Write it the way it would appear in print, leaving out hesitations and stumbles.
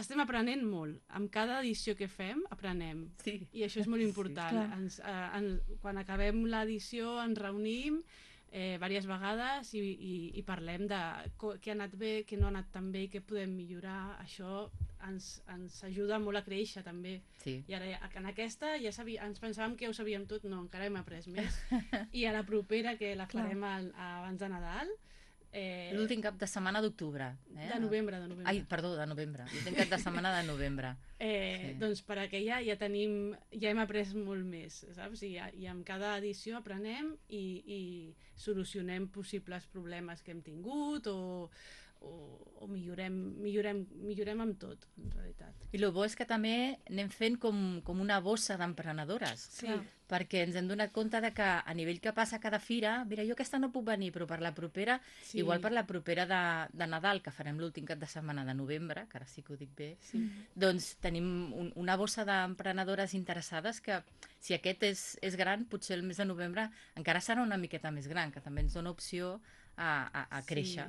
estem aprenent molt. Amb cada edició que fem, aprenem. Sí. I això és molt important. Quan acabem l'edició ens reunim diverses vegades i parlem de què ha anat bé, què no ha anat tan bé, què podem millorar. Això ens ajuda molt a créixer també. Sí. I ara en aquesta ja ens pensàvem que ja ho sabíem tot, no, encara hem après més. I a la propera, que la farem abans de Nadal, l'últim cap de setmana d'octubre. De novembre. Ai, perdó, de novembre. L'últim cap de setmana de novembre. Doncs per aquella ja hem après molt més, saps? I amb cada edició aprenem i solucionem possibles problemes que hem tingut o millorem amb tot, en realitat. I el bo és que també anem fent com una bossa d'emprenedores. Sí. Perquè ens hem donat compte de que a nivell que passa cada fira, mira, jo aquesta no puc venir, però per la propera, igual per la propera de Nadal, que farem l'últim cap de setmana de novembre, que ara sí que ho dic bé, doncs tenim una bossa d'emprenedores interessades que, si aquest és gran, potser el mes de novembre encara serà una miqueta més gran, que també ens dona opció a créixer.